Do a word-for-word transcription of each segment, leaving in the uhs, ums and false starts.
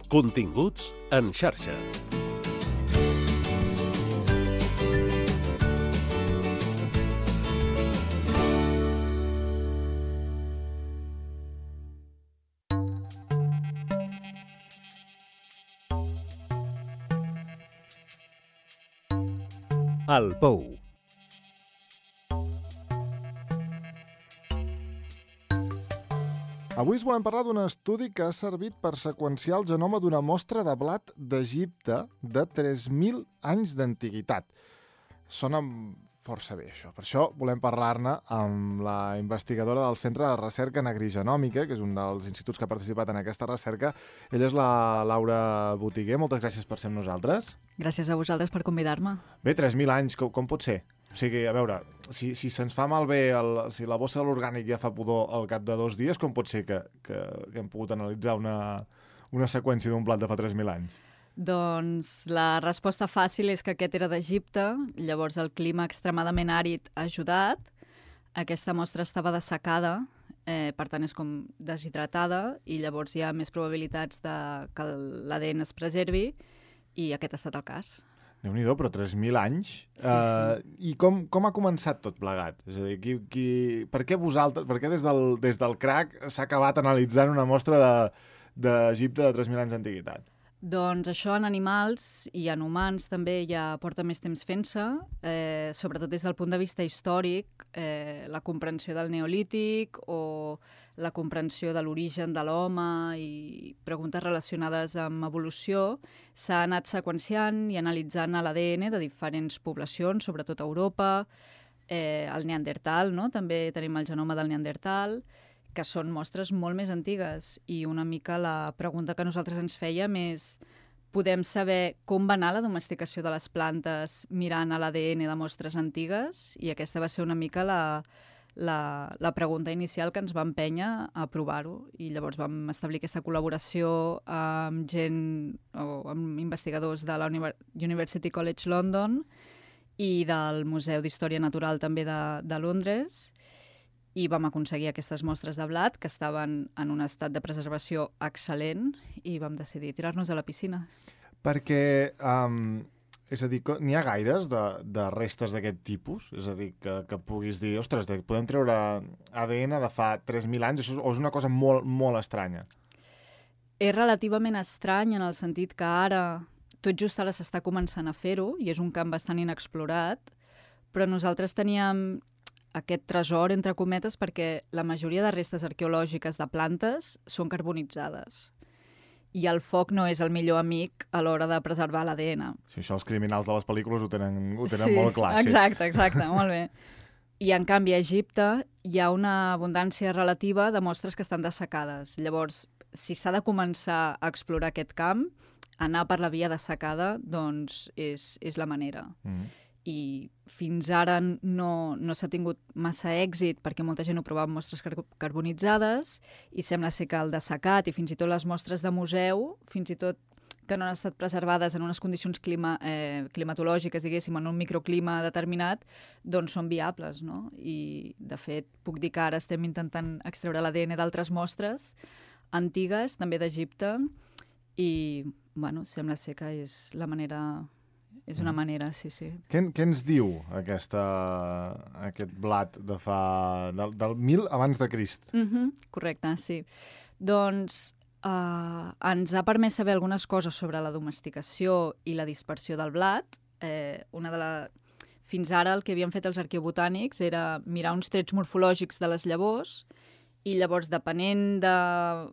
Continguts en xarxa. El Pou. Avui us volem parlar d'un estudi que ha servit per seqüenciar el genoma d'una mostra de blat d'Egipte de tres mil anys d'antiguitat. Sona força bé, això. Per això volem parlar-ne amb la investigadora del Centre de Recerca Negrigenòmica, que és un dels instituts que ha participat en aquesta recerca. Ella és la Laura Botiguer. Moltes gràcies per ser amb nosaltres. Gràcies a vosaltres per convidar-me. Bé, tres mil anys, com, com pot ser? O sigui, a veure, si, si se'ns fa malbé, el, si la bossa de l'orgànic ja fa pudor al cap de dos dies, com pot ser que, que, que hem pogut analitzar una, una seqüència d'un blat de fa tres mil anys? Doncs la resposta fàcil és que aquest era d'Egipte, llavors el clima extremadament àrid ha ajudat, aquesta mostra estava dessecada, eh, per tant és com deshidratada, i llavors hi ha més probabilitats de que l'A D N es preservi, i aquest ha estat el cas. Déu-n'hi-do, però tres mil anys. Sí, uh, sí. I com, com ha començat tot plegat? És a dir, qui, qui, per què vosaltres, per què des del, des del crac s'ha acabat analitzant una mostra d'Egipte de, de tres mil anys d'antiguitat? Doncs això en animals i en humans també ja porta més temps fent-se, eh, sobretot des del punt de vista històric, eh, la comprensió del neolític o la comprensió de l'origen de l'home i preguntes relacionades amb evolució, s'ha anat seqüenciant i analitzant l'A D N de diferents poblacions, sobretot a Europa, eh, el Neandertal, no? També tenim el genoma del Neandertal, que són mostres molt més antigues, i una mica la pregunta que nosaltres ens fèiem és: podem saber com va anar la domesticació de les plantes mirant a l'A D N de mostres antigues? I aquesta va ser una mica la, la, la pregunta inicial que ens va empènyer a provar-ho, i llavors vam establir aquesta col·laboració amb gent o amb investigadors de la University College London i del Museu d'Història Natural també de, de Londres, i vam aconseguir aquestes mostres de blat que estaven en un estat de preservació excel·lent, i vam decidir tirar-nos a la piscina. Perquè, um, és a dir, n'hi ha gaires de, de restes d'aquest tipus? És a dir, que, que puguis dir, ostres, podem treure A D N de fa tres mil anys, això és, o és una cosa molt, molt estranya? És relativament estrany en el sentit que ara, tot just ara s'està començant a fer-ho, i és un camp bastant inexplorat, però nosaltres teníem aquest tresor, entre cometes, perquè la majoria de restes arqueològiques de plantes són carbonitzades. I el foc no és el millor amic a l'hora de preservar l'A D N. Sí, això els criminals de les pel·lícules ho tenen, ho tenen sí, molt clar. Exacte, exacte, molt bé. I en canvi a Egipte hi ha una abundància relativa de mostres que estan dessecades. Llavors, si s'ha de començar a explorar aquest camp, anar per la via dessecada, doncs és, és la manera. Mm-hmm. I fins ara no, no s'ha tingut massa èxit perquè molta gent ho provava amb mostres car carbonitzades, i sembla ser que el dessecat i fins i tot les mostres de museu, fins i tot que no han estat preservades en unes condicions clima, eh, climatològiques, diguéssim, en un microclima determinat, doncs són viables, no? I, de fet, puc dir que ara estem intentant extreure l'A D N d'altres mostres antigues, també d'Egipte, i, bueno, sembla ser que és la manera... És una manera, sí, sí. Què, què ens diu aquesta, aquest blat de fa... del, del mil abans de Crist? Mm-hmm, correcte, sí. Doncs eh, ens ha permès saber algunes coses sobre la domesticació i la dispersió del blat. Eh, una de la... Fins ara el que havien fet els arqueobotànics era mirar uns trets morfològics de les llavors, i llavors, depenent de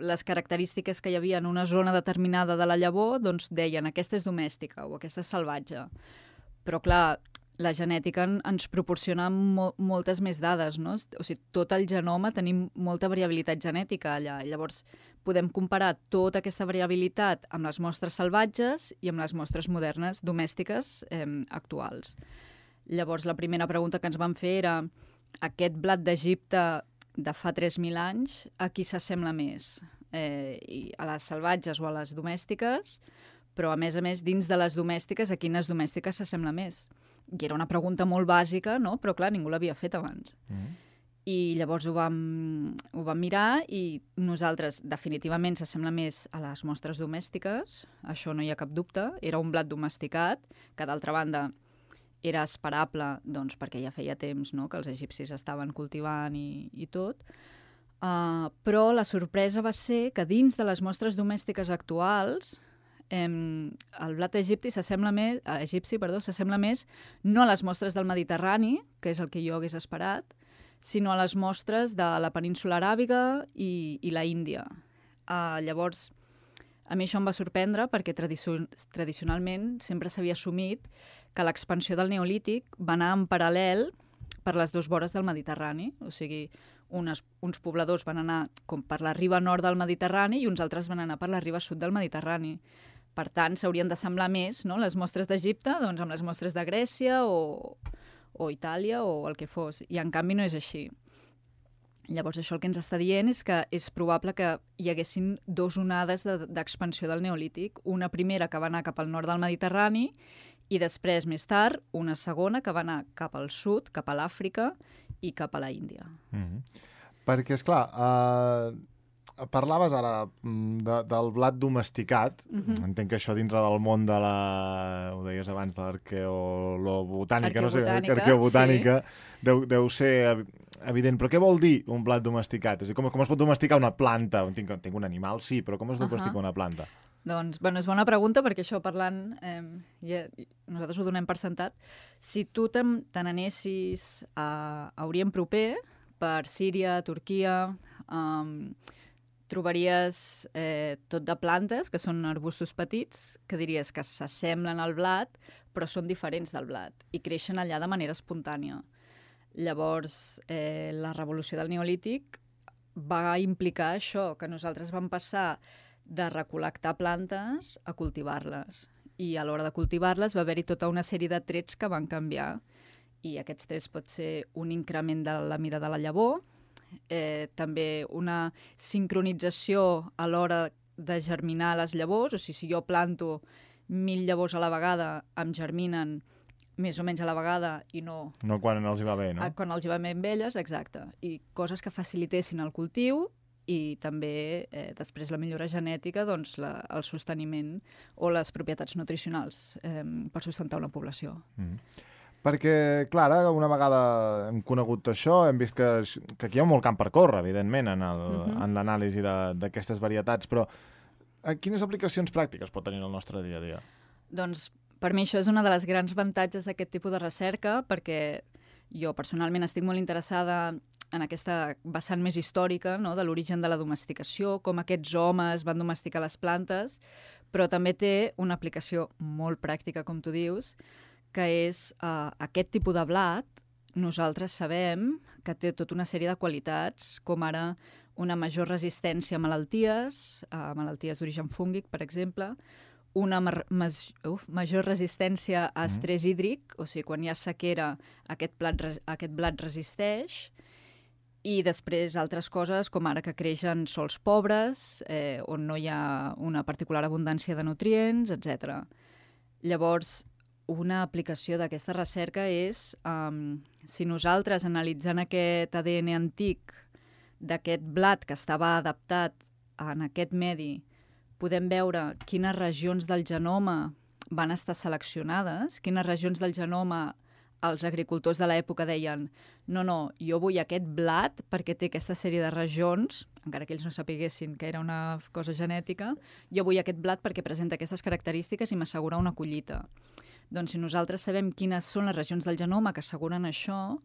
les característiques que hi havia en una zona determinada de la llavor, doncs deien aquesta és domèstica o aquesta és salvatge. Però, clar, la genètica ens proporciona mo moltes més dades, no? O sigui, tot el genoma tenim molta variabilitat genètica allà. Llavors, podem comparar tota aquesta variabilitat amb les mostres salvatges i amb les mostres modernes, domèstiques, eh, actuals. Llavors, la primera pregunta que ens van fer era: aquest blat d'Egipte de fa tres mil anys, a qui s'assembla més? Eh, i a les salvatges o a les domèstiques, però a més a més, dins de les domèstiques, a quines domèstiques s'assembla més? I era una pregunta molt bàsica, no? Però clar, ningú l'havia fet abans. Mm. I llavors ho vam, ho vam mirar i nosaltres definitivament s'assembla més a les mostres domèstiques, això no hi ha cap dubte, era un blat domesticat, que d'altra banda era esperable doncs, perquè ja feia temps, no?, que els egipcis estaven cultivant i, i tot, uh, però la sorpresa va ser que dins de les mostres domèstiques actuals em, el blat egipci s'assembla més, eh, egipci, perdó, s'assembla més no a les mostres del Mediterrani, que és el que jo hagués esperat, sinó a les mostres de la península aràbiga i, i la Índia. Uh, llavors, a mi això em va sorprendre perquè tradicio tradicionalment sempre s'havia assumit que l'expansió del Neolític va anar en paral·lel per les dues vores del Mediterrani. O sigui, unes, uns pobladors van anar com per la riba nord del Mediterrani i uns altres van anar per la riba sud del Mediterrani. Per tant, s'haurien d'assemblar més, no?, les mostres d'Egipte doncs, amb les mostres de Grècia o, o Itàlia o el que fos. I en canvi no és així. Llavors, això el que ens està dient és que és probable que hi haguessin dues onades d'expansió de, del Neolític. Una primera que va anar cap al nord del Mediterrani i després, més tard, una segona que va anar cap al sud, cap a l'Àfrica i cap a la Índia. Mm-hmm. Perquè, esclar, eh, parlaves ara de, del blat domesticat. Mm-hmm. Entenc que això dintre del món de la... ho deies abans, de l'arqueolobotànica, no sé, arqueobotànica, sí. deu, deu ser evident. Però què vol dir un blat domesticat? És a dir, com, com es pot domesticar una planta? Tinc, tinc un animal, sí, però com es domestica uh-huh. una planta? Doncs, bueno, és bona pregunta, perquè això parlant, eh, ja, nosaltres ho donem per sentat. Si tu te n'anessis a, a Orient Proper, per Síria, Turquia, eh, trobaries eh, tot de plantes, que són arbustos petits, que diries que s'assemblen al blat, però són diferents del blat, i creixen allà de manera espontània. Llavors, eh, la revolució del Neolític va implicar això, que nosaltres vam passar de recol·lectar plantes a cultivar-les. I a l'hora de cultivar-les va haver-hi tota una sèrie de trets que van canviar. I aquests trets pot ser un increment de la mida de la llavor, eh, també una sincronització a l'hora de germinar les llavors, o sigui, si jo planto mil llavors a la vegada, em germinen més o menys a la vegada i no... No quan els hi va bé, no? Quan els hi va bé amb elles, exacte. I coses que facilitessin el cultiu i també eh, després la millora genètica, doncs la, el sosteniment o les propietats nutricionals eh, per sustentar una població. Mm. Perquè, clar, una vegada hem conegut això, hem vist que, que aquí hi ha molt camp per córrer, evidentment, en el, uh-huh. en l'anàlisi d'aquestes varietats, però quines aplicacions pràctiques pot tenir el nostre dia a dia? Doncs per mi això és una de les grans avantatges d'aquest tipus de recerca, perquè jo personalment estic molt interessada en aquesta vessant més històrica, no?, de l'origen de la domesticació, com aquests homes van domesticar les plantes, però també té una aplicació molt pràctica, com tu dius, que és uh, aquest tipus de blat. Nosaltres sabem que té tota una sèrie de qualitats, com ara una major resistència a malalties, a malalties d'origen fúngic, per exemple, una ma uf, major resistència a estrès mm. hídric, o sigui, quan hi ha sequera, aquest, plat, aquest blat resisteix, i després altres coses, com ara que creix en sols pobres, eh, on no hi ha una particular abundància de nutrients, etcètera. Llavors, una aplicació d'aquesta recerca és, um, si nosaltres, analitzant aquest A D N antic d'aquest blat que estava adaptat en aquest medi, podem veure quines regions del genoma van estar seleccionades, quines regions del genoma els agricultors de l'època deien no, no, jo vull aquest blat perquè té aquesta sèrie de regions, encara que ells no sapiguessin que era una cosa genètica, jo vull aquest blat perquè presenta aquestes característiques i m'assegura una collita. Doncs si nosaltres sabem quines són les regions del genoma que asseguren això,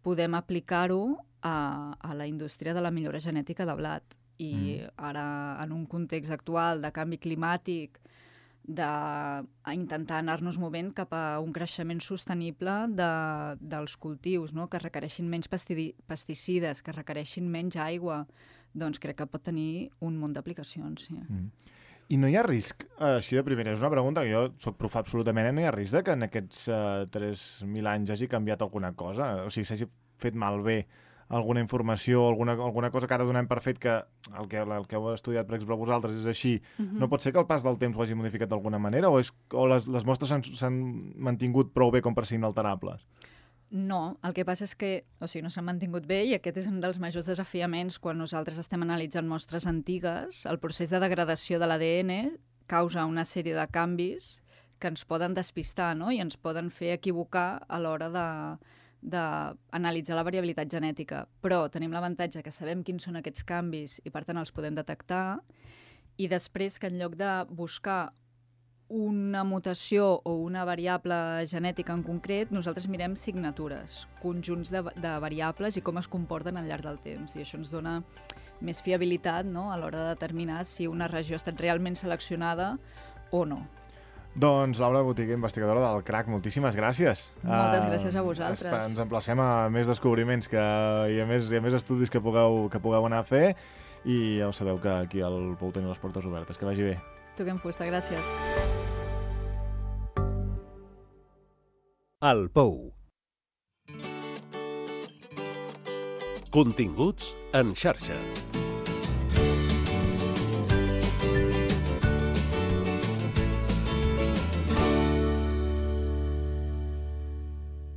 podem aplicar-ho a, a la indústria de la millora genètica de blat. I mm. ara, en un context actual de canvi climàtic, d'intentar anar-nos movent cap a un creixement sostenible de, dels cultius, no?, que requereixin menys pesticides, que requereixin menys aigua, doncs crec que pot tenir un munt d'aplicacions. Sí. Mm. I no hi ha risc, així de primera, és una pregunta que jo soc prof absolutament, no hi ha risc de que en aquests uh, tres mil anys hagi canviat alguna cosa? O sigui, s'hagi fet malbé alguna informació, alguna, alguna cosa que ara donem per fet que el que, el que heu estudiat, per exemple, vosaltres és així, uh-huh. no pot ser que el pas del temps ho hagi modificat d'alguna manera o, és, o les, les mostres s'han mantingut prou bé com per ser inalterables? No, el que passa és que o sigui, no s'han mantingut bé i aquest és un dels majors desafiaments quan nosaltres estem analitzant mostres antigues. El procés de degradació de l'A D N causa una sèrie de canvis que ens poden despistar, no? I ens poden fer equivocar a l'hora de d'analitzar la variabilitat genètica. Però tenim l'avantatge que sabem quins són aquests canvis i per tant els podem detectar, i després que en lloc de buscar una mutació o una variable genètica en concret, nosaltres mirem signatures, conjunts de, de variables i com es comporten al llarg del temps. I això ens dona més fiabilitat, no?, a l'hora de determinar si una regió ha estat realment seleccionada o no. Doncs Laura Botiguer, investigadora del C R A C, moltíssimes gràcies. Moltes gràcies a vosaltres. Ens emplacem a més descobriments que, i, a més, i a més estudis que pugueu, que pugueu anar a fer, i ja ho sabeu que aquí al Pou teniu les portes obertes. Que vagi bé. Toquem fusta, gràcies. El Pou. Continguts en xarxa.